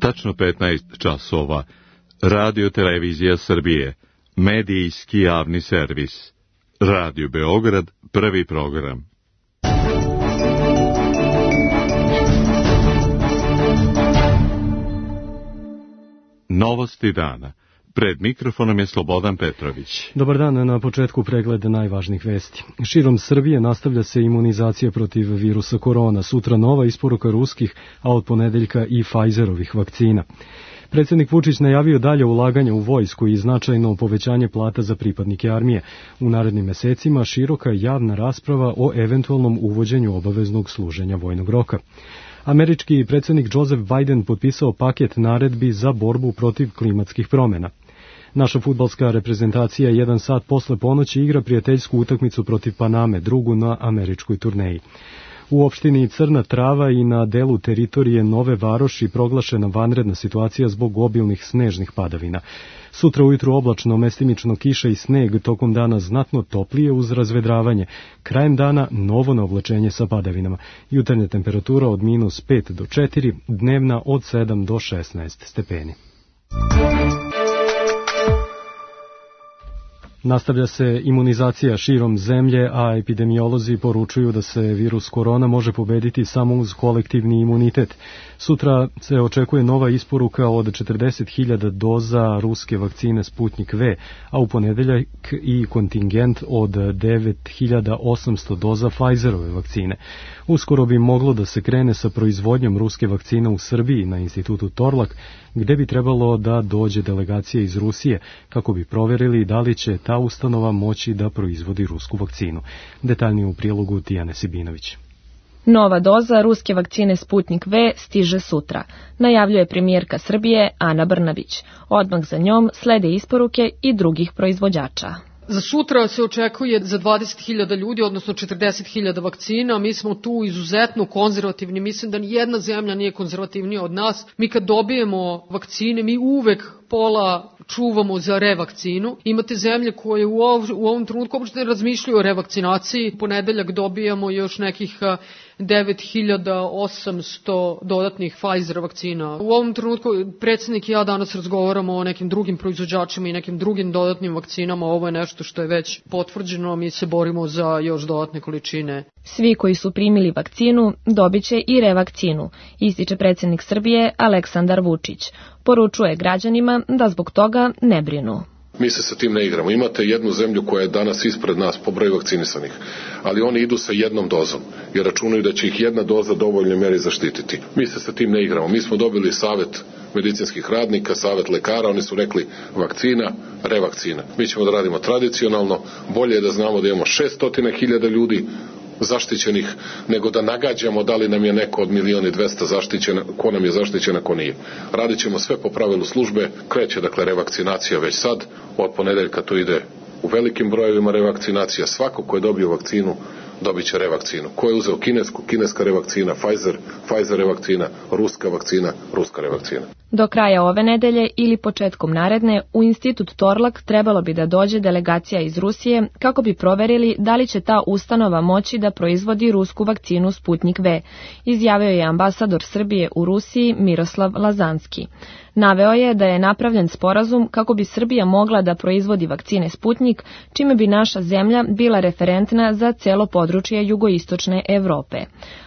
Tačno 15 časova. Radio Televizija Srbije. Medijski javni servis. Radio Beograd, prvi program. Novosti dana. Pred mikrofonom je Slobodan Petrović. Dobar dan, na početku pregled najvažnijih vesti. Širom Srbije nastavlja se imunizacija protiv virusa korona. Sutra nova isporuka ruskih, a od ponedeljka i Pfizerovih vakcina. Predsjednik Vučić najavio dalje ulaganje u vojsku i značajno povećanje plata za pripadnike armije. U narednim mesecima široka javna rasprava o eventualnom uvođenju obaveznog služenja vojnog roka. Američki predsjednik Joseph Biden potpisao paket naredbi za borbu protiv klimatskih promjena. Naša fudbalska reprezentacija 1 sat posle ponoći igra prijateljsku utakmicu protiv Paname, drugu na američkoj turneji. U opštini Crna Trava i na delu teritorije Nove Varoši proglašena vanredna situacija zbog obilnih snežnih padavina. Sutra ujutru oblačno, mestimično kiša i sneg, tokom dana znatno toplije uz razvedravanje. Krajem dana novo naoblačenje sa padavinama. Jutarnja temperatura od -5 do 4, dnevna od 7 do 16 stepeni. Nastavlja se imunizacija širom zemlje, a epidemiolozi poručuju da se virus korona može pobediti samo uz kolektivni imunitet. Sutra se očekuje nova isporuka od 40.000 doza ruske vakcine Sputnik V, a u ponedeljak i kontingent od 9.800 doza Pfizerove vakcine. Uskoro bi moglo da se krene sa proizvodnjom ruske vakcine u Srbiji na institutu Torlak, gde bi trebalo da dođe delegacija iz Rusije kako bi proverili da li će ta ustanova moći da proizvodi rusku vakcinu. Detaljnije u prilogu Tijane Sibinović. Nova doza ruske vakcine Sputnik V stiže sutra, najavljuje premijerka Srbije Ana Brnabić. Odmah za njom slede isporuke i drugih proizvođača. Za sutra se očekuje za 20.000 ljudi, odnosno 40.000 vakcina. Mi smo tu izuzetno konzervativni. Mislim da nijedna zemlja nije konzervativnija od nas. Mi kad dobijemo vakcine, mi uvek pola čuvamo za revakcinu. Imate zemlje koje u ovom trenutku uopšte ne razmišljaju o revakcinaciji. Ponedeljak dobijamo još nekih 9.800 dodatnih Pfizer vakcina. U ovom trenutku predsjednik i ja danas razgovaramo o nekim drugim proizvođačima i nekim drugim dodatnim vakcinama. Ovo je nešto što je već potvrđeno, mi se borimo za još dodatne količine. Svi koji su primili vakcinu dobit će i revakcinu, ističe predsjednik Srbije Aleksandar Vučić. Poručuje građanima da zbog toga ne brinu. Mi se sa tim ne igramo. Imate jednu zemlju koja je danas ispred nas po broju vakcinisanih, ali oni idu sa jednom dozom jer računaju da će ih jedna doza dovoljno meri zaštititi. Mi se sa tim ne igramo. Mi smo dobili savjet medicinskih radnika, savjet lekara, oni su rekli vakcina, revakcina. Mi ćemo da radimo tradicionalno, bolje je da znamo da imamo 600.000 ljudi zaštićenih, nego da nagađamo da li nam je neko od 1.200.000 zaštićen, ko nam je zaštićen, a ko nije. Radit ćemo sve po pravilu službe, kreće dakle revakcinacija već sad, od ponedeljka to ide u velikim brojevima revakcinacija, svako ko je dobio vakcinu dobit će revakcinu. Ko je uzeo kinesku, kineska revakcina, Pfizer revakcina, ruska vakcina, ruska revakcina. Do kraja ove nedelje ili početkom naredne u institut Torlak trebalo bi da dođe delegacija iz Rusije kako bi proverili da li će ta ustanova moći da proizvodi rusku vakcinu Sputnik V, izjavio je ambasador Srbije u Rusiji Miroslav Lazanski. Naveo je da je napravljen sporazum kako bi Srbija mogla da proizvodi vakcine Sputnik, čime bi naša zemlja bila referentna za celo područje jugoistočne Evrope.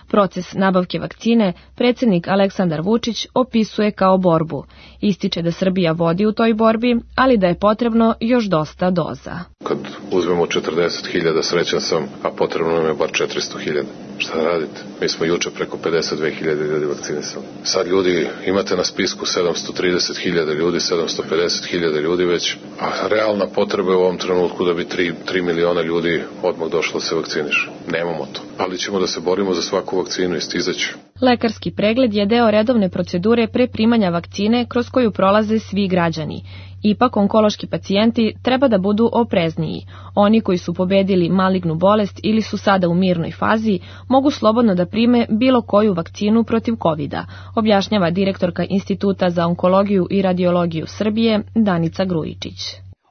Proces nabavke vakcine predsjednik Aleksandar Vučić opisuje kao borbu. Ističe da Srbija vodi u toj borbi, ali da je potrebno još dosta doza. Kad uzmemo 40.000, srećan sam, a potrebno nam je bar 400.000. Šta da radite? Mi smo juče preko 52.000 ljudi vakcinisali. Sad ljudi, imate na spisku 730.000 ljudi, 750.000 ljudi već, a realna potreba je u ovom trenutku da bi 3 miliona ljudi odmah došlo da se vakciniše. Nemamo to, ali ćemo da se borimo za svaku vakcinu i stizaću. Lekarski pregled je deo redovne procedure pre primanja vakcine kroz koju prolaze svi građani. Ipak onkološki pacijenti treba da budu oprezniji. Oni koji su pobedili malignu bolest ili su sada u mirnoj fazi mogu slobodno da prime bilo koju vakcinu protiv COVID-a, objašnjava direktorka Instituta za onkologiju i radiologiju Srbije Danica Grujičić.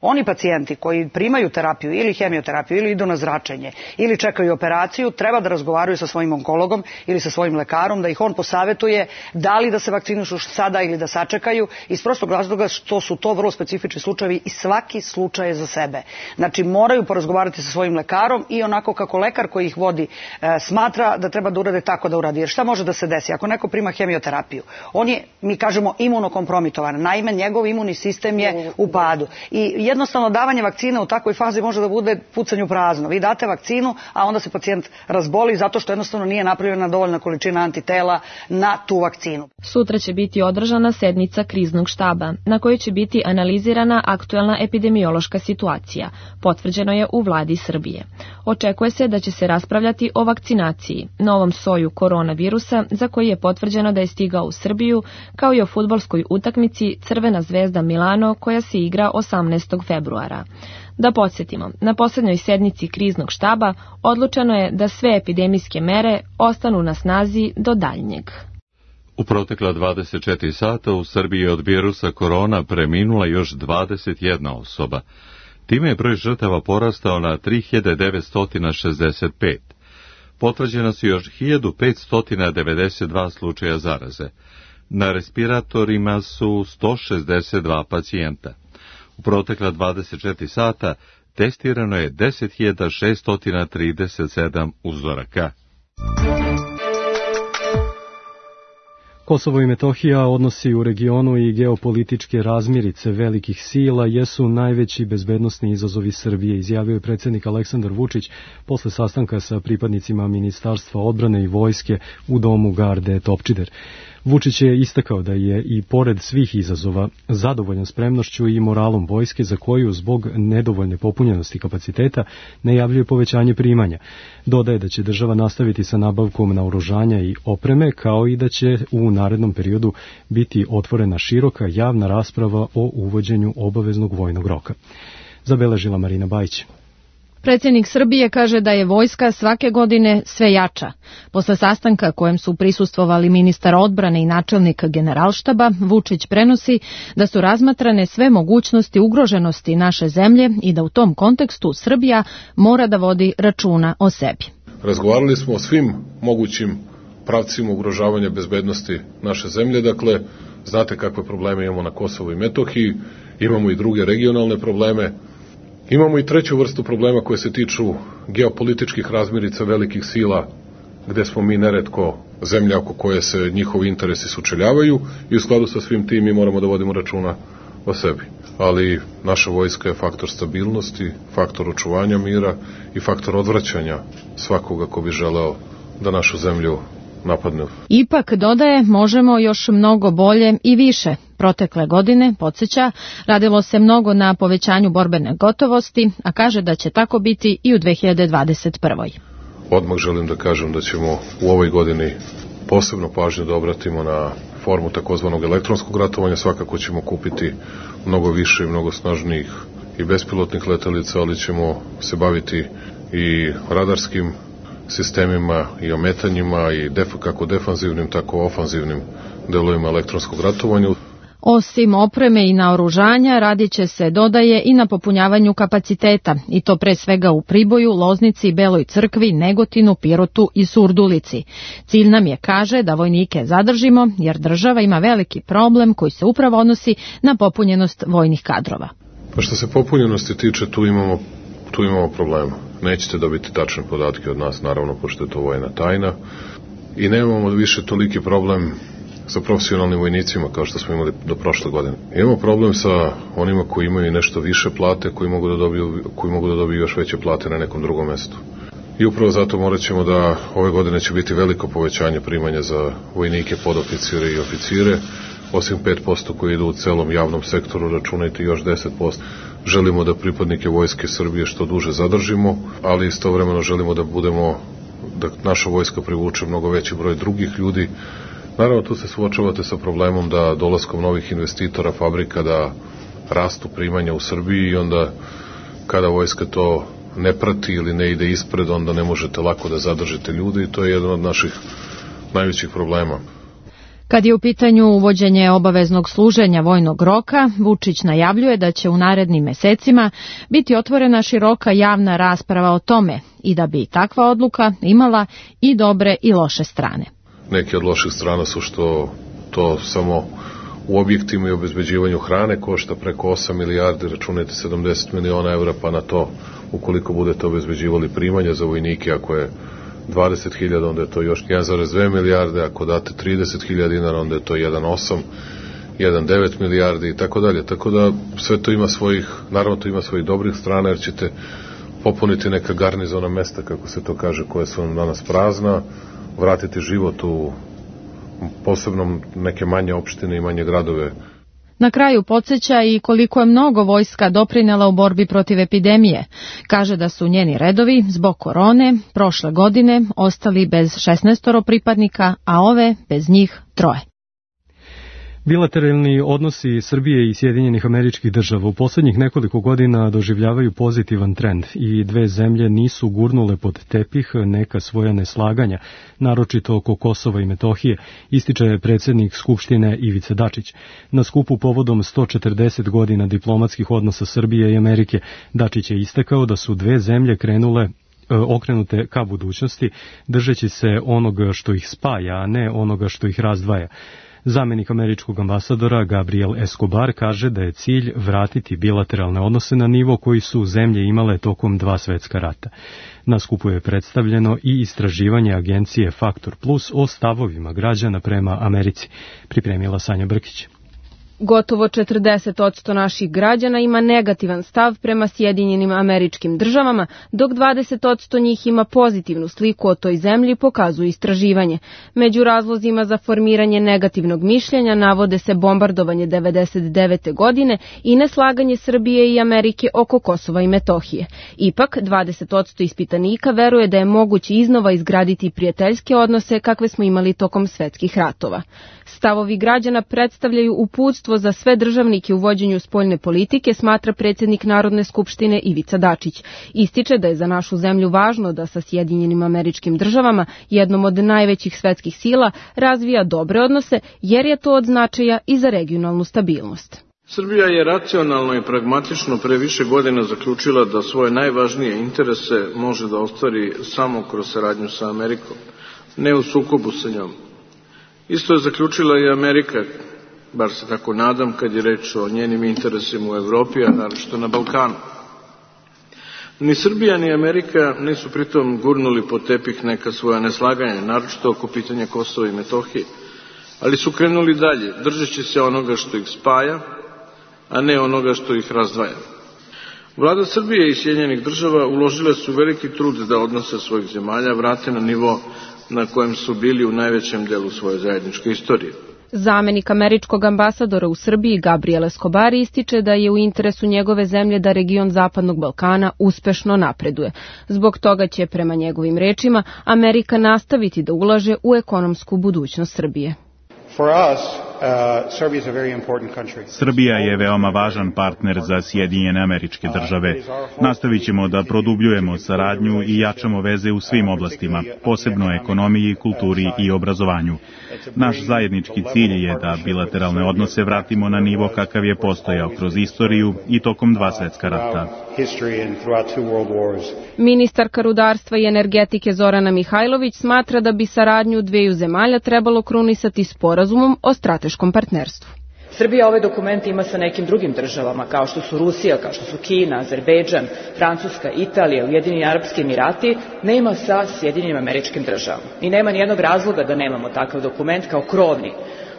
Oni pacijenti koji primaju terapiju ili hemioterapiju ili idu na zračenje ili čekaju operaciju treba da razgovaraju sa svojim onkologom ili sa svojim lekarom, da ih on posavetuje da li da se vakcinišu sada ili da sačekaju, iz prostog razloga što su to vrlo specifični slučajevi i svaki slučaj je za sebe. Znači moraju porazgovarati sa svojim lekarom i onako kako lekar koji ih vodi smatra da treba da urade tako da uradi. Jer šta može da se desi? Ako neko prima hemioterapiju, on je, mi kažemo, imunokompromitovan. Naime, njegov imunni sistem je u padu. I jednostavno davanje vakcine u takvoj fazi može da bude pucanj u prazno. Vi date vakcinu, a onda se pacijent razboli zato što jednostavno nije napravljena dovoljna količina antitela na tu vakcinu. Sutra će biti održana sednica kriznog štaba, na kojoj će biti analizirana aktuelna epidemiološka situacija, potvrđeno je u vladi Srbije. Očekuje se da će se raspravljati o vakcinaciji, novom soju koronavirusa za koji je potvrđeno da je stigao u Srbiju, kao i o fudbalskoj utakmici Crvena zvezda Milano koja se igra 18. februara. Da podsjetimo, na posljednjoj sednici kriznog štaba odlučeno je da sve epidemijske mere ostanu na snazi do daljnjeg. U protekla 24 sata u Srbiji od virusa korona preminula još 21 osoba. Time je broj žrtava porastao na 3965. Potvrđena su još 1592 slučaja zaraze. Na respiratorima su 162 pacijenta. U protekla 24 sata testirano je 10.637 uzoraka. Kosovo i Metohija, odnosi u regionu i geopolitičke razmirice velikih sila jesu najveći bezbednosni izazovi Srbije, izjavio je predsjednik Aleksandar Vučić posle sastanka sa pripadnicima Ministarstva odbrane i vojske u domu garde Topčider. Vučić je istakao da je i pored svih izazova zadovoljan spremnošću i moralom vojske za koju zbog nedovoljne popunjenosti kapaciteta najavljuje povećanje primanja. Dodaje da će država nastaviti sa nabavkom naoružanja i opreme, kao i da će u narednom periodu biti otvorena široka javna rasprava o uvođenju obaveznog vojnog roka. Zabeležila Marina Bajić. Predsjednik Srbije kaže da je vojska svake godine sve jača. Posle sastanka kojem su prisustvovali ministar odbrane i načelnik Generalštaba, Vučić prenosi da su razmatrane sve mogućnosti ugroženosti naše zemlje i da u tom kontekstu Srbija mora da vodi računa o sebi. Razgovarali smo o svim mogućim pravcima ugrožavanja bezbednosti naše zemlje, dakle, znate kakve probleme imamo na Kosovu i Metohiji, imamo i druge regionalne probleme. Imamo i treću vrstu problema koje se tiču geopolitičkih razmirica velikih sila, gde smo mi neretko zemlja oko koje se njihovi interesi sučeljavaju i u skladu sa svim tim mi moramo da vodimo računa o sebi. Ali naša vojska je faktor stabilnosti, faktor očuvanja mira i faktor odvraćanja svakoga ko bi želeo da našu zemlju napadne. Ipak, dodaje, možemo još mnogo bolje i više. Protekle godine, podsjeća, radilo se mnogo na povećanju borbene gotovosti, a kaže da će tako biti i u 2021. Odmah želim da kažem da ćemo u ovoj godini posebno pažnju da obratimo na formu takozvanog elektronskog ratovanja. Svakako ćemo kupiti mnogo više i mnogo snažnijih i bespilotnih letelica, ali ćemo se baviti i radarskim sistemima i ometanjima i kako defanzivnim, tako ofanzivnim delovima elektronskog ratovanja. Osim opreme i naoružanja, radit će se, dodaje, i na popunjavanju kapaciteta, i to pre svega u Priboju, Loznici, Beloj Crkvi, Negotinu, Pirotu i Surdulici. Cilj nam je, kaže, da vojnike zadržimo, jer država ima veliki problem koji se upravo odnosi na popunjenost vojnih kadrova. Pa što se popunjenosti tiče, tu imamo problema. Nećete dobiti tačne podatke od nas, naravno, pošto je to vojna tajna. I nemamo više toliki problem sa profesionalnim vojnicima kao što smo imali do prošle godine. Imamo problem sa onima koji imaju nešto više plate, koji mogu da dobiju još veće plate na nekom drugom mestu. I upravo zato morat ćemo da ove godine će biti veliko povećanje primanja za vojnike, podoficire i oficire, osim 5% koji idu u celom javnom sektoru, računajte još 10%. Želimo da pripadnike Vojske Srbije što duže zadržimo, ali istovremeno želimo da naša vojska privuče mnogo veći broj drugih ljudi. Naravno, tu se suočavate sa problemom da dolaskom novih investitora, fabrika, da rastu primanja u Srbiji i onda kada vojska to ne prati ili ne ide ispred, onda ne možete lako da zadržite ljude i to je jedan od naših najvećih problema. Kad je u pitanju uvođenje obaveznog služenja vojnog roka, Vučić najavljuje da će u narednim mesecima biti otvorena široka javna rasprava o tome i da bi takva odluka imala i dobre i loše strane. Neke od loših strana su što to samo u objektima i obezbeđivanju hrane košta preko 8 milijardi, računajte 70 miliona evra, pa na to, ukoliko budete obezbeđivali primanja za vojnike, ako je 20.000, onda je to još 1,2 milijarde, ako date 30.000 dinara, onda je to 1,8, 1,9 milijardi i tako dalje. Tako da sve to ima svojih, naravno to ima svojih dobrih strana, jer ćete popuniti neka garnizona mesta, kako se to kaže, koje su vam danas prazna, vratiti život u posebno neke manje opštine i manje gradove. Na kraju podsjeća i koliko je mnogo vojska doprinela u borbi protiv epidemije. Kaže da su njeni redovi zbog korone prošle godine ostali bez 16 pripadnika, a ove bez njih 3. Bilateralni odnosi Srbije i Sjedinjenih Američkih Država u poslednjih nekoliko godina doživljavaju pozitivan trend i dve zemlje nisu gurnule pod tepih neka svoja neslaganja, naročito oko Kosova i Metohije, ističe predsjednik Skupštine Ivica Dačić. Na skupu povodom 140 godina diplomatskih odnosa Srbije i Amerike, Dačić je istakao da su dve zemlje okrenute ka budućnosti, držeći se onoga što ih spaja, a ne onoga što ih razdvaja. Zamenik američkog ambasadora Gabriel Escobar kaže da je cilj vratiti bilateralne odnose na nivo koji su zemlje imale tokom 2 svetska rata. Na skupu je predstavljeno i istraživanje agencije Faktor Plus o stavovima građana prema Americi. Pripremila Sanja Brkić. Gotovo 40% naših građana ima negativan stav prema Sjedinjenim Američkim Državama, dok 20% njih ima pozitivnu sliku o toj zemlji, pokazuje istraživanje. Među razlozima za formiranje negativnog mišljenja navode se bombardovanje 1999. godine i neslaganje Srbije i Amerike oko Kosova i Metohije. Ipak, 20% ispitanika veruje da je moguće iznova izgraditi prijateljske odnose kakve smo imali tokom svetskih ratova. Stavovi građana predstavljaju uputstvo za sve državnike u vođenju spoljne politike, smatra predsjednik Narodne skupštine Ivica Dačić. Ističe da je za našu zemlju važno da sa Sjedinjenim Američkim Državama, jednom od najvećih svetskih sila, razvija dobre odnose, jer je to od značaja i za regionalnu stabilnost. Srbija je racionalno i pragmatično pre više godina zaključila da svoje najvažnije interese može da ostvari samo kroz saradnju sa Amerikom, ne u sukobu sa njom. Isto je zaključila i Amerika, bar se tako nadam, kad je reč o njenim interesima u Evropi, a naročito na Balkanu. Ni Srbija ni Amerika nisu pritom gurnuli pod tepih neka svoja neslaganja, naročito oko pitanja Kosova i Metohije, ali su krenuli dalje, držeći se onoga što ih spaja, a ne onoga što ih razdvaja. Vlada Srbije i Sjedinjenih Država uložile su veliki trud da odnose svojih zemalja vrate na nivo na kojem su bili u najvećem delu svoje zajedničke istorije. Zamenik američkog ambasadora u Srbiji Gabriel Escobar ističe da je u interesu njegove zemlje da region Zapadnog Balkana uspešno napreduje. Zbog toga će, prema njegovim rečima, Amerika nastaviti da ulaže u ekonomsku budućnost Srbije. Srbija je veoma važan partner za Sjedinjene Američke Države. Nastavit ćemo da produbljujemo saradnju i jačamo veze u svim oblastima, posebno ekonomiji, kulturi i obrazovanju. Naš zajednički cilj je da bilateralne odnose vratimo na nivo kakav je postojao kroz istoriju i tokom 2 svetska rata. Ministarka rudarstva i energetike Zorana Mihajlović smatra da bi saradnju dveju zemalja trebalo krunisati sporazumom o strateškom partnerstvu. Srbija ove dokumente ima sa nekim drugim državama, kao što su Rusija, kao što su Kina, Azerbejdžan, Francuska, Italija, Ujedinjeni Arapski Emirati, nema sa Sjedinjenim Američkim Državama. I nema nijednog razloga da nemamo takav dokument kao krovni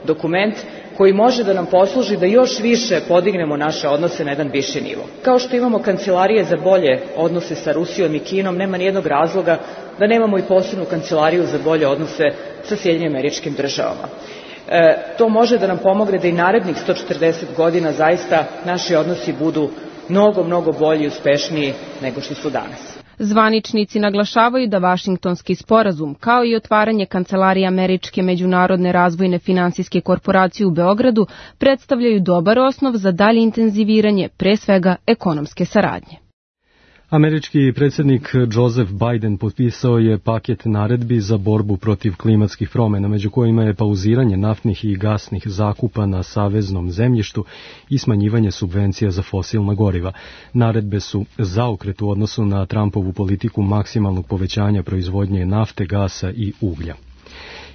dokument koji može da nam posluži da još više podignemo naše odnose na jedan viši nivo. Kao što imamo kancelarije za bolje odnose sa Rusijom i Kinom, nema nijednog razloga da nemamo i posebnu kancelariju za bolje odnose sa Sjedinjenim Američkim Državama. To može da nam pomogne da i narednih 140 godina zaista naši odnosi budu mnogo bolji i uspešniji nego što su danas. Zvaničnici naglašavaju da Vašingtonski sporazum, kao i otvaranje kancelarije Američke međunarodne razvojne finansijske korporacije u Beogradu, predstavljaju dobar osnov za dalje intenziviranje, pre svega ekonomske saradnje. Američki predsjednik Joseph Biden potpisao je paket naredbi za borbu protiv klimatskih promjena, među kojima je pauziranje naftnih i gasnih zakupa na saveznom zemljištu i smanjivanje subvencija za fosilna goriva. Naredbe su zaokret u odnosu na Trumpovu politiku maksimalnog povećanja proizvodnje nafte, gasa i uglja.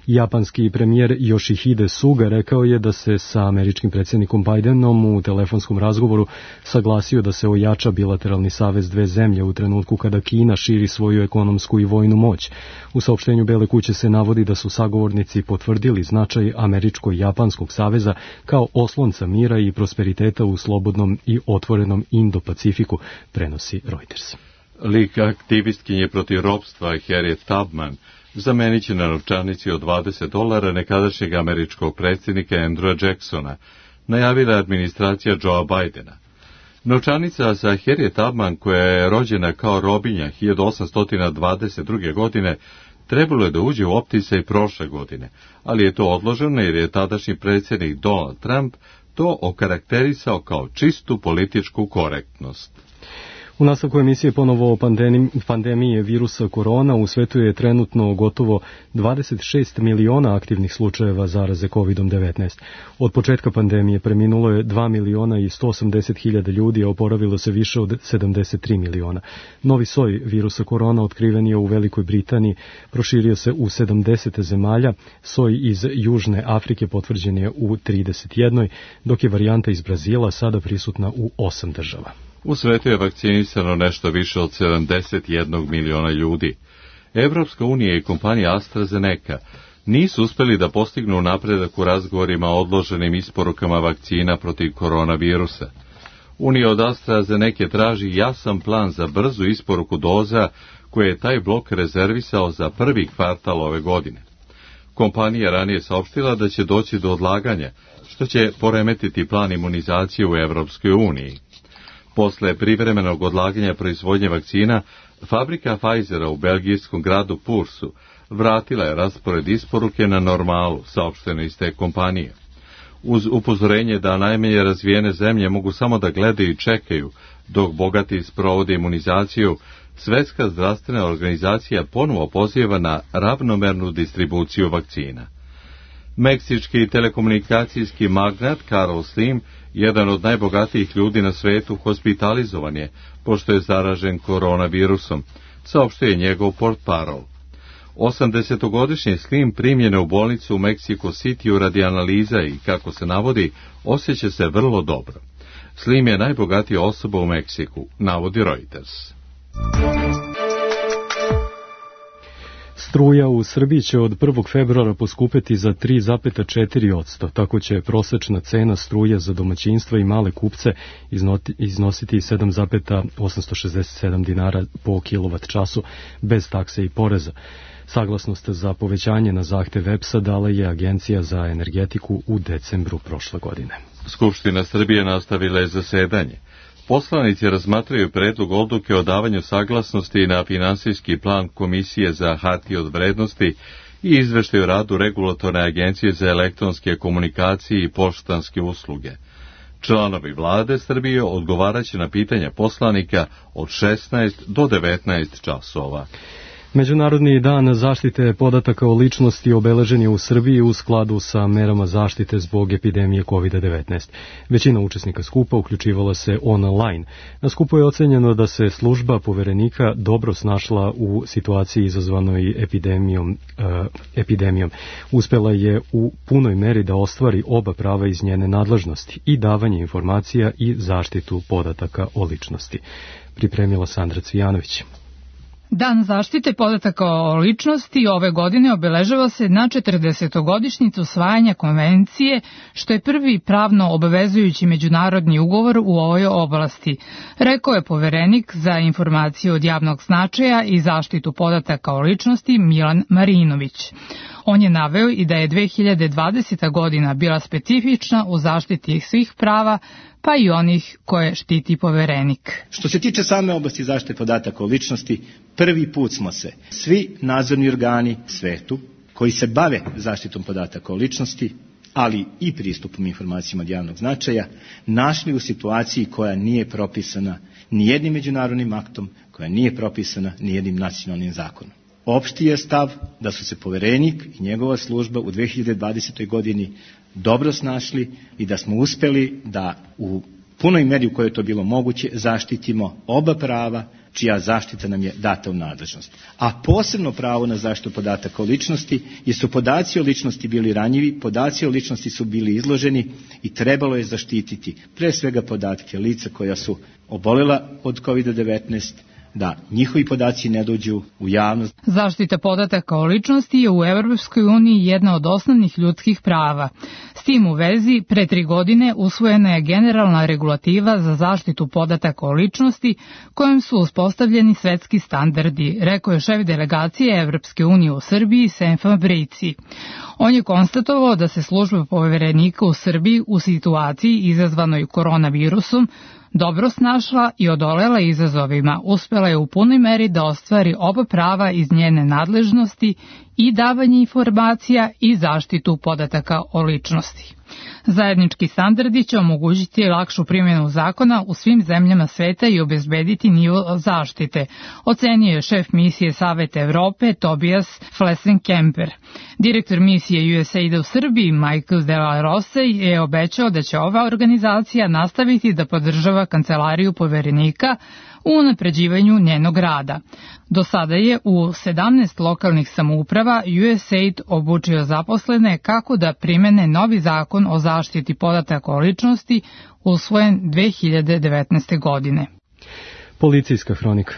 Japanski premijer Yoshihide Suga rekao je da se sa američkim predsjednikom Bidenom u telefonskom razgovoru saglasio da se ojača bilateralni savez dve zemlje u trenutku kada Kina širi svoju ekonomsku i vojnu moć. U saopštenju Bele kuće se navodi da su sagovornici potvrdili značaj američko-japanskog saveza kao oslonca mira i prosperiteta u slobodnom i otvorenom Indo-Pacifiku, prenosi Reuters. Lik aktivistkinje protiv ropstva Harriet Tubman zamenit će na novčanici od $20 nekadašnjeg američkog predsjednika Andrewa Jacksona, najavila je administracija Joea Bidena. Novčanica za Harriet Tubman, koja je rođena kao robinja 1822. godine, trebalo je da uđe u opticaj prošle godine, ali je to odloženo jer je tadašnji predsjednik Donald Trump to okarakterisao kao čistu političku korektnost. U nastavku emisije ponovo o pandemiji virusa korona. U svetu je trenutno gotovo 26 miliona aktivnih slučajeva zaraze COVID-19. Od početka pandemije preminulo je 2 miliona i 180 hiljada ljudi, a oporavilo se više od 73 miliona. Novi soj virusa korona otkriven je u Velikoj Britaniji, proširio se u 70 zemalja, soj iz Južne Afrike potvrđen je u 31, dok je varijanta iz Brazila sada prisutna u 8 država. U svetu je vakcinisano nešto više od 71 miliona ljudi. Evropska unija i kompanija AstraZeneca nisu uspeli da postignu napredak u razgovorima o odloženim isporukama vakcina protiv koronavirusa. Unija od AstraZeneca traži jasan plan za brzu isporuku doza koje je taj blok rezervisao za prvi kvartal ove godine. Kompanija ranije saopštila da će doći do odlaganja, što će poremetiti plan imunizacije u Evropskoj uniji. Posle privremenog odlaganja proizvodnje vakcina, fabrika Pfizera u belgijskom gradu Pursu vratila je raspored isporuke na normalu, saopšteno iz te kompanije. Uz upozorenje da najmanje razvijene zemlje mogu samo da gledaju i čekaju, dok bogati sprovode imunizaciju, Svetska zdravstvena organizacija ponovo poziva na ravnomernu distribuciju vakcina. Meksički telekomunikacijski magnat Carlos Slim, jedan od najbogatijih ljudi na svetu, hospitalizovan je, pošto je zaražen koronavirusom, saopštio je njegov portparol. 80-godišnji Slim primljen je u bolnicu u Mexico City radi analiza i, kako se navodi, osjeća se vrlo dobro. Slim je najbogatija osoba u Meksiku, navodi Reuters. Struja u Srbiji će od 1. februara poskupeti za 3,4%, tako će prosečna cena struje za domaćinstva i male kupce iznositi 7,867 dinara po kilovat-času bez takse i poreza. Saglasnost za povećanje na zahtev EPS-a dala je Agencija za energetiku u decembru prošle godine. Skupština Srbije nastavila je zasedanje. Poslanici razmatraju predlog odluke o davanju saglasnosti na finansijski plan Komisije za hartije od vrednosti i izveštaj o radu Regulatorne agencije za elektronske komunikacije i poštanske usluge. Članovi vlade Srbije odgovaraće na pitanja poslanika od 16 do 19 časova. Međunarodni dan zaštite podataka o ličnosti obeležen je u Srbiji u skladu sa merama zaštite zbog epidemije COVID-19. Većina učesnika skupa uključivala se online. Na skupu je ocenjeno da se služba poverenika dobro snašla u situaciji izazvanoj epidemijom. Uspela je u punoj meri da ostvari oba prava iz njene nadležnosti, i davanje informacija i zaštitu podataka o ličnosti. Pripremila Sandra Cvijanović. Dan zaštite podataka o ličnosti ove godine obeležava se na 40-godišnjicu usvajanja konvencije, što je prvi pravno obavezujući međunarodni ugovor u ovoj oblasti, rekao je poverenik za informaciju od javnog značaja i zaštitu podataka o ličnosti Milan Marinović. On je naveo i da je 2020. godina bila specifična u zaštiti svih prava, pa i onih koje štiti poverenik. Što se tiče same oblasti zaštite podataka o ličnosti, prvi put smo se svi nadzorni organi svetu koji se bave zaštitom podataka o ličnosti, ali i pristupom informacijama od javnog značaja, našli u situaciji koja nije propisana nijednim međunarodnim aktom, koja nije propisana nijednim nacionalnim zakonom. Opšti je stav da su se poverenik i njegova služba u 2020. godini dobro snašli i da smo uspeli da u punoj meri u kojoj je to bilo moguće zaštitimo oba prava čija zaštita nam je data u nadležnost. A posebno pravo na zaštitu podataka o ličnosti, jer su podaci o ličnosti bili ranjivi, podaci o ličnosti su bili izloženi i trebalo je zaštititi pre svega podatke lica koja su obolela od COVID-19, da njihovi podaci ne dođu u javnost. Zaštita podataka o ličnosti je u Evropskoj uniji jedna od osnovnih ljudskih prava. S tim u vezi, pre 3 godine usvojena je generalna regulativa za zaštitu podataka o ličnosti, kojom su uspostavljeni svetski standardi, rekao je šef delegacije Evropske unije u Srbiji Sem Fabrici. On je konstatovao da se služba poverenika u Srbiji u situaciji izazvanoj koronavirusom dobro snašla i odolela izazovima, uspela je u punoj meri da ostvari oba prava iz njene nadležnosti i davanje informacija i zaštitu podataka o ličnosti. Zajednički standardi će omogućiti lakšu primjenu zakona u svim zemljama sveta i obezbediti nivo zaštite, ocenio je šef misije Saveta Evrope Tobias Flessenkemper. Direktor misije USAID-a u Srbiji Michael De La Rosa je obećao da će ova organizacija nastaviti da podržava kancelariju poverenika u unapređivanju njenog rada. Do sada je u 17 lokalnih samouprava USAID obučio zaposlene kako da primene novi zakon o zaštiti podataka o ličnosti usvojen 2019. godine. Policijska hronika.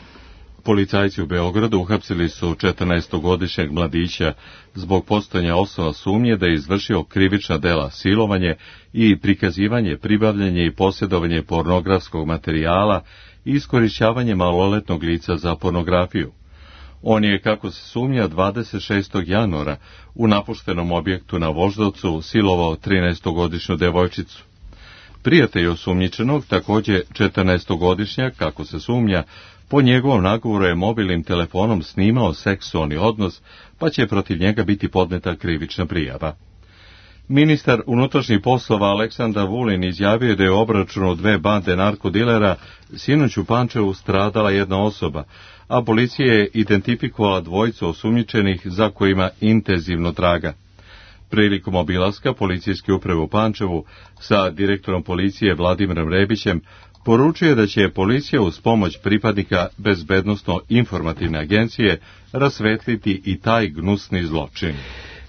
Policajci u Beogradu uhapsili su 14-godišnjeg mladića zbog postojanja osnova sumnje da je izvršio krivična dela silovanje i prikazivanje, pribavljanje i posjedovanje pornografskog materijala i iskorišćavanje maloletnog lica za pornografiju. On je, kako se sumnja, 26. januara u napuštenom objektu na Voždovcu silovao 13-godišnju devojčicu. Prijatelj osumnjičenog, također 14-godišnjak, kako se sumnja, po njegovom nagovoru je mobilnim telefonom snimao seksualni odnos, pa će protiv njega biti podneta krivična prijava. Ministar unutrašnjih poslova Aleksandar Vulin izjavio da je u obračunu 2 bande narkodilera sinoć u Pančevu stradala jedna osoba, a policija je identifikovala 2 osumnjičenih za kojima intenzivno traga. Prilikom obilaska policijske uprave u Pančevu sa direktorom policije Vladimirom Rebićem poručuje da će policija uz pomoć pripadnika Bezbednosno-informativne agencije rasvetliti i taj gnusni zločin.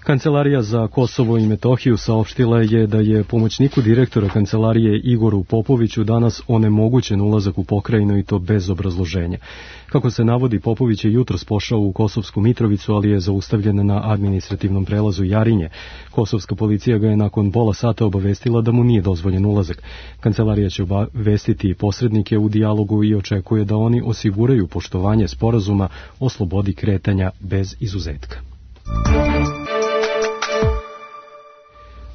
Kancelarija za Kosovo i Metohiju saopštila je da je pomoćniku direktora kancelarije Igoru Popoviću danas onemogućen ulazak u pokrajinu i to bez obrazloženja. Kako se navodi, Popović je jutros pošao u Kosovsku Mitrovicu, ali je zaustavljen na administrativnom prelazu Jarinje. Kosovska policija ga je nakon pola sata obavestila da mu nije dozvoljen ulazak. Kancelarija će obavestiti posrednike u dijalogu i očekuje da oni osiguraju poštovanje sporazuma o slobodi kretanja bez izuzetka.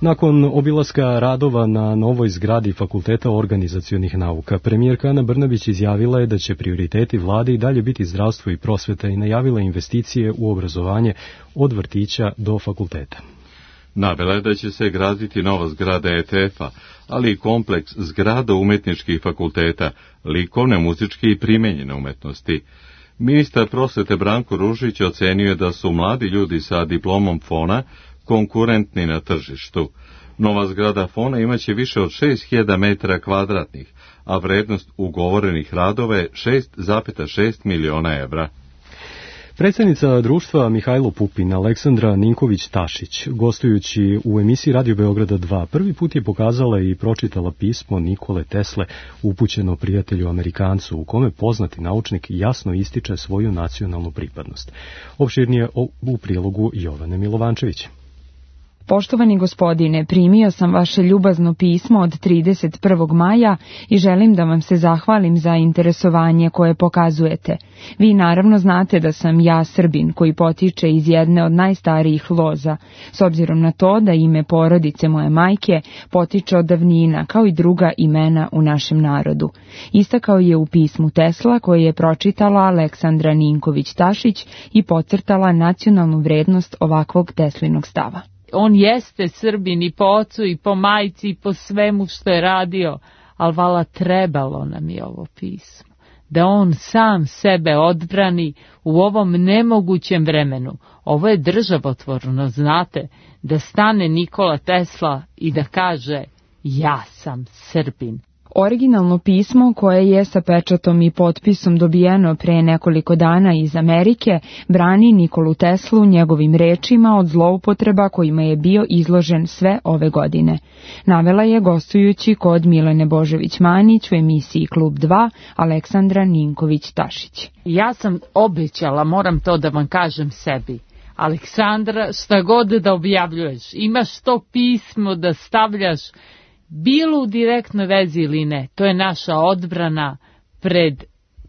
Nakon obilaska radova na novoj zgradi Fakulteta organizacionih nauka, premijerka Ana Brnabić izjavila je da će prioriteti vlade i dalje biti zdravstvo i prosveta i najavila investicije u obrazovanje od vrtića do fakulteta. Navela je da će se graditi nova zgrada ETF-a, ali i kompleks zgrada umetničkih fakulteta, likovne, muzičke i primenjene umetnosti. Ministar prosvete Branko Ružić ocenio je da su mladi ljudi sa diplomom FON-a konkurentni na tržištu. Nova zgrada FON-a imaće više od 6000 metara kvadratnih, a vrednost ugovorenih radova je 6,6 miliona evra. Predsjednica društva Mihajlo Pupin, Aleksandra Ninković-Tašić, gostujući u emisiji Radio Beograda 2, prvi put je pokazala i pročitala pismo Nikole Tesle upućeno prijatelju Amerikancu, u kome poznati naučnik jasno ističe svoju nacionalnu pripadnost. Opširnije u prilogu Jovane Milovančević. Poštovani gospodine, primio sam vaše ljubazno pismo od 31. maja i želim da vam se zahvalim za interesovanje koje pokazujete. Vi naravno znate da sam ja Srbin koji potiče iz jedne od najstarijih loza, s obzirom na to da ime porodice moje majke potiče od davnina, kao i druga imena u našem narodu. Istakao je u pismu Tesla koje je pročitala Aleksandra Ninković-Tašić i podcrtala nacionalnu vrednost ovakvog Teslinog stava. On jeste Srbin i po ocu i po majci i po svemu što je radio, ali vala trebalo nam je ovo pismo. da on sam sebe odbrani u ovom nemogućem vremenu. Ovo je državotvorno, znate, da stane Nikola Tesla i da kaže ja sam Srbin. Originalno pismo, koje je sa pečatom i potpisom dobijeno pre nekoliko dana iz Amerike, brani Nikolu Teslu njegovim rečima od zloupotreba kojima je bio izložen sve ove godine. Navela je gostujući kod Milene Božović-Manić u emisiji Klub 2 Aleksandra Ninković-Tašić. Ja sam obećala, moram to da vam kažem sebi, Aleksandra, šta god da objavljuješ, imaš to pismo da stavljaš bilo u direktnoj vezi ili ne, to je naša odbrana pred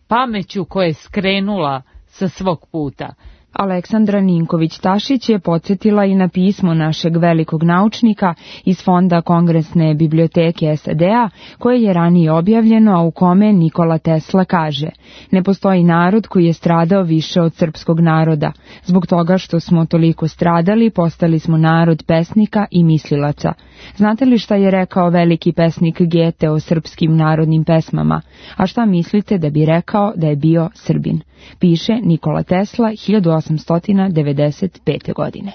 pameću koja je skrenula sa svog puta. Aleksandra Ninković-Tašić je podsjetila i na pismo našeg velikog naučnika iz Fonda Kongresne biblioteke SAD-a, koje je ranije objavljeno, a u kome Nikola Tesla kaže: ne postoji narod koji je stradao više od srpskog naroda. Zbog toga što smo toliko stradali, postali smo narod pesnika i mislilaca. Znate li šta je rekao veliki pesnik Gete o srpskim narodnim pesmama? A šta mislite da bi rekao da je bio Srbin? Piše Nikola Tesla 1895. godine.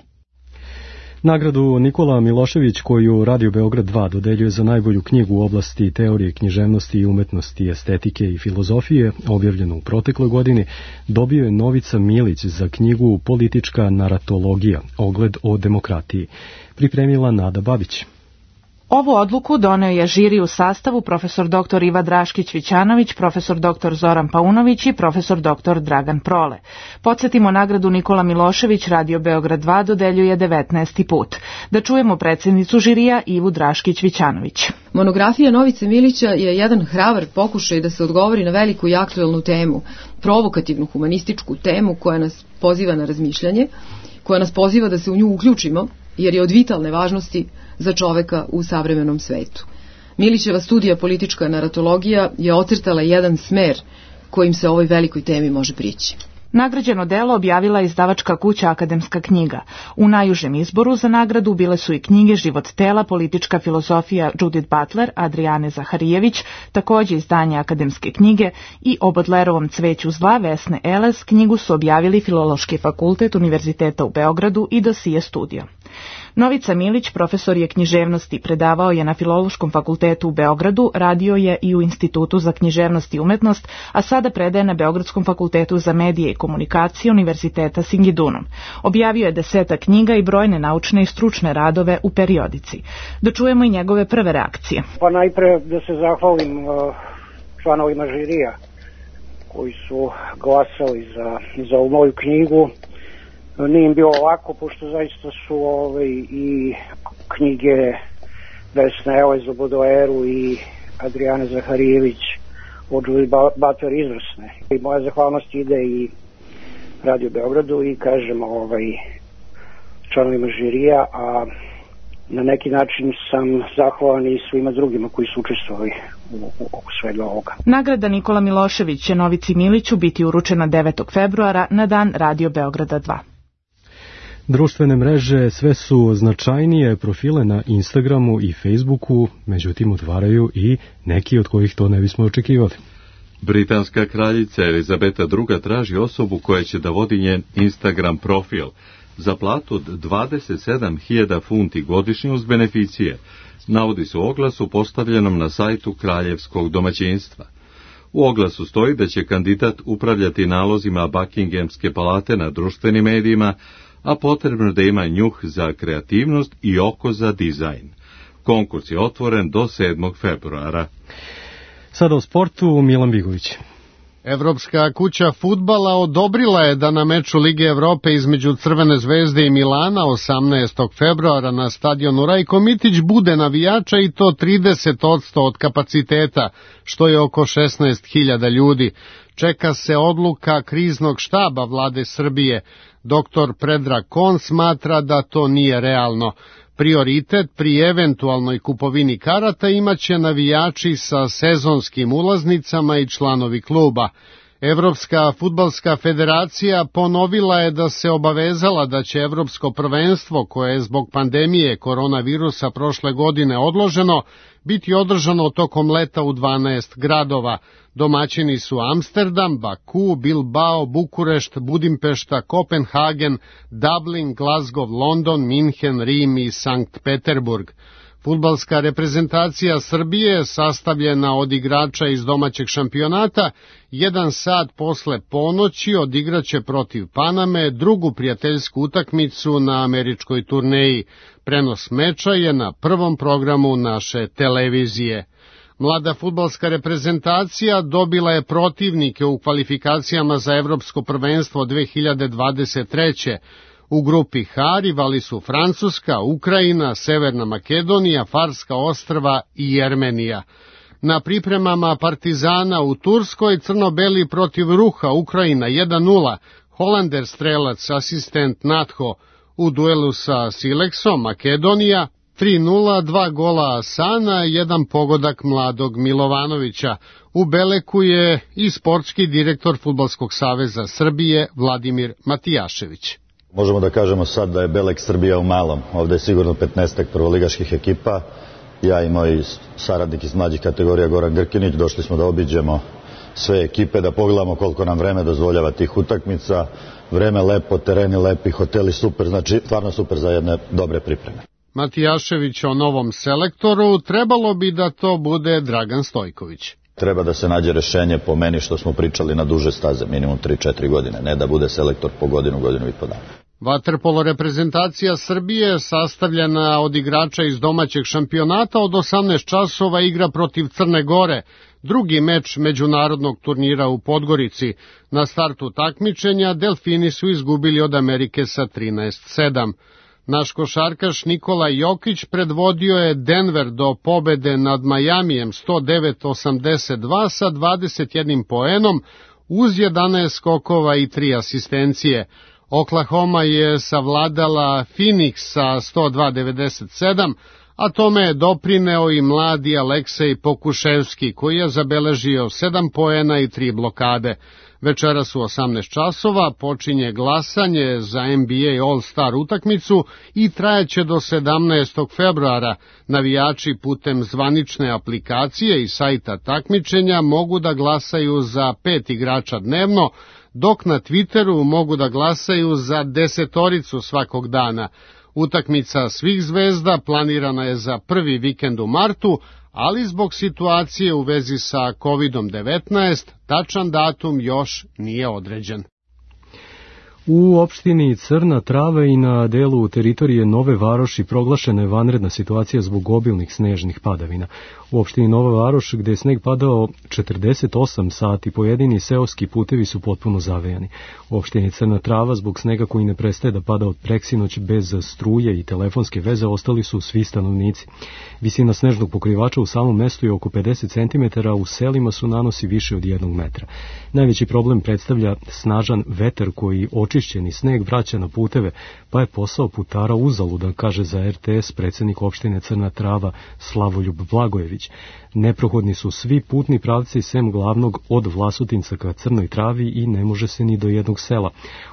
Nagradu Nikola Milošević, koju Radio Beograd 2 dodeljuje za najbolju knjigu u oblasti teorije književnosti i umetnosti, estetike i filozofije, objavljenu u protekloj godini, dobio je Novica Milić za knjigu Politička naratologija, ogled o demokratiji. Pripremila Nada Babić. Ovu odluku doneo je žiri u sastavu profesor dr. Iva Draškić-Vićanović, profesor dr. Zoran Paunović i profesor dr. Dragan Prole. Podsjetimo, nagradu Nikola Milošević Radio Beograd 2 dodeljuje 19. put. Da čujemo predsjednicu žirija Ivu Draškić-Vićanović. Monografija Novice Milića je jedan hrabar pokušaj da se odgovori na veliku i aktuelnu temu, provokativnu humanističku temu koja nas poziva na razmišljanje, koja nas poziva da se u nju uključimo, jer je od vitalne važnosti za čoveka u savremenom svetu. Milićeva studija Politička naratologija je ocrtala jedan smer kojim se ovoj velikoj temi može prići. Nagrađeno delo objavila je izdavačka kuća Akademska knjiga. U najužem izboru za nagradu bile su i knjige Život tela, politička filozofija Judith Butler, Adriane Zaharijević, također izdanje Akademske knjige, i o Bodlerovom Cveću zla Vesne Eles. Knjigu su objavili Filološki fakultet Univerziteta u Beogradu i Dosije studio. Novica Milić profesor je književnosti, predavao je na Filološkom fakultetu u Beogradu, radio je i u Institutu za književnost i umetnost, a sada predaje na Beogradskom fakultetu za medije i komunikacije Univerziteta Singidunom. Objavio je 10 knjiga i brojne naučne i stručne radove u periodici. Da čujemo i njegove prve reakcije. Pa najpre da se zahvalim članovima žirija koji su glasali za ovu moju knjigu. Nije im bilo lako, pošto zaista su i knjige Vesne Eles o Bodleru i Adriane Zaharijević od Judith Butler izvrsne. I moja zahvalnost ide i Radio Beogradu i kažem članovima žirija, a na neki način sam zahvalan i svima drugima koji su učestvovali u svega ovoga. Nagrada Nikola Milošević će Novici Miliću biti uručena 9. februara na dan Radio Beograda 2. Društvene mreže sve su značajnije profile na Instagramu i Facebooku, međutim otvaraju i neki od kojih to ne bismo očekivali. Britanska kraljica Elizabeta II traži osobu koja će da vodi njen Instagram profil za platu od 27.000 funti godišnje uz beneficije, navodi se u oglasu postavljenom na sajtu kraljevskog domaćinstva. U oglasu stoji da će kandidat upravljati nalozima Buckinghamske palate na društvenim medijima, a potrebno da ima njuh za kreativnost i oko za dizajn. Konkurs je otvoren do 7. februara. Sada o sportu, Milan Bigović. Evropska kuća fudbala odobrila je da na meču Lige Evrope između Crvene zvezde i Milana 18. februara na stadionu Rajko Mitić bude navijača, i to 30% od kapaciteta, što je oko 16.000 ljudi. Čeka se odluka kriznog štaba vlade Srbije. Dr. Predrag Kon smatra da to nije realno. Prioritet pri eventualnoj kupovini karata imaće navijači sa sezonskim ulaznicama i članovi kluba. Evropska fudbalska federacija ponovila je da se obavezala da će Evropsko prvenstvo, koje je zbog pandemije koronavirusa prošle godine odloženo, biti održano tokom leta u 12 gradova. Domaćini su Amsterdam, Baku, Bilbao, Bukurešt, Budimpešta, Kopenhagen, Dublin, Glasgow, London, Minhen, Rim i Sankt Peterburg. Fudbalska reprezentacija Srbije, sastavljena od igrača iz domaćeg šampionata, 1 sat posle ponoći odigraće protiv Paname drugu prijateljsku utakmicu na američkoj turneji. Prenos meča je na prvom programu naše televizije. Mlada fudbalska reprezentacija dobila je protivnike u kvalifikacijama za Evropsko prvenstvo 2023. U grupi H rivali su Francuska, Ukrajina, Severna Makedonija, Farska ostrva i Jermenija. Na pripremama Partizana u Turskoj crno-beli protiv Ruha, Ukrajina 1-0, Holander strelac, asistent Natho. U duelu sa Sileksom, Makedonija 3-0, 2 gola Asana, 1 pogodak mladog Milovanovića. U Beleku je i sportski direktor Fudbalskog saveza Srbije Vladimir Matijašević. Možemo da kažemo sad da je Belek Srbija u malom. Ovde je sigurno 15 prvoligaških ekipa. Ja i moj saradnik iz mlađih kategorija Goran Grkinić došli smo da obiđemo sve ekipe, da pogledamo koliko nam vreme dozvoljava tih utakmica. Vreme lepo, tereni lepi, hoteli super, znači stvarno super za jedne dobre pripreme. Matijašević o novom selektoru, trebalo bi da to bude Dragan Stojković. Treba da se nađe rešenje po meni što smo pričali na duže staze, minimum 3-4 godine, ne da bude selektor po godinu i po dana. Vaterpolo reprezentacija Srbije, sastavljena od igrača iz domaćeg šampionata, od 18 časova igra protiv Crne Gore, drugi meč međunarodnog turnira u Podgorici. Na startu takmičenja Delfini su izgubili od Amerike sa 13-7. Naš košarkaš Nikola Jokić predvodio je Denver do pobede nad Majamijem 109-82 sa 21 poenom, uz 11 skokova i 3 asistencije. Oklahoma je savladala Phoenix sa 102-97, a tome je doprineo i mladi Aleksej Pokuševski, koji je zabeležio 7 poena i 3 blokade. Večeras u 18 časova počinje glasanje za NBA All-Star utakmicu i trajeće do 17. februara. Navijači putem zvanične aplikacije i sajta takmičenja mogu da glasaju za 5 igrača dnevno, dok na Twitteru mogu da glasaju za 10 svakog dana. Utakmica svih zvezda planirana je za prvi vikend u martu, ali zbog situacije u vezi sa COVID-19 tačan datum još nije određen. U opštini Crna Trava i na delu teritorije Nove Varoši proglašena je vanredna situacija zbog obilnih snežnih padavina. U opštini Nova Varoš, gde je sneg padao 48 sati, pojedini seoski putevi su potpuno zavejani. U opštini Crna Trava, zbog snega koji ne prestaje da pada od preksinoć bez struje i telefonske veze, ostali su svi stanovnici. Visina snežnog pokrivača u samom mestu je oko 50 cm, a u selima su nanosi više od 1 metra. Najveći problem predstavlja snažan vetar koji očišćeni sneg vraća na puteve, pa je posao putara uzaludan, kaže za RTS predsednik opštine Crna Trava Slavoljub Blagojević. Neprohodni su svi putni pravci sem glavnog od Vlasotinca ka Crnoj Travi i ne može se ni do jednog sela.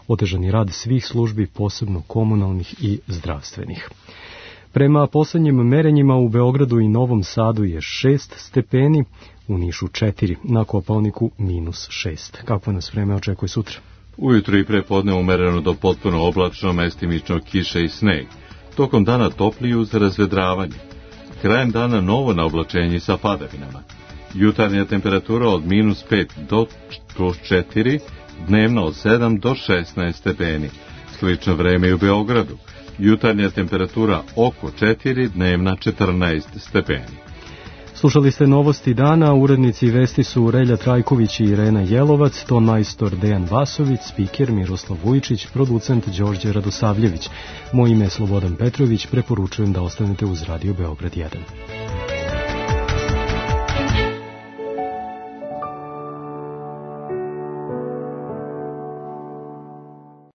Otežan je rad svih službi, posebno komunalnih i zdravstvenih. Prema poslednjim merenjima u Beogradu i Novom Sadu je 6 stepeni, u Nišu 4, na Kopaoniku -6. Kako nas vreme očekuje sutra? Ujutro i prepodne umereno do potpuno oblačno, mestimično kiše i sneg. Tokom dana topliji uz razvedravanje. Krajem dana novo naoblačenje sa padavinama. Jutarnja temperatura od -5 do +4, dnevno od 7 do 16 stepeni. Slično vreme i u Beogradu. Jutarnja temperatura oko 4, dnevna 14 stepeni. Slušali ste novosti dana, urednici vesti su Relja Trajković i Irena Jelovac, ton majstor Dejan Vasović, spiker Miroslav Vujčić, producent Đorđe Radosavljević. Moje ime je Slobodan Petrović, preporučujem da ostanete uz Radio Beograd 1.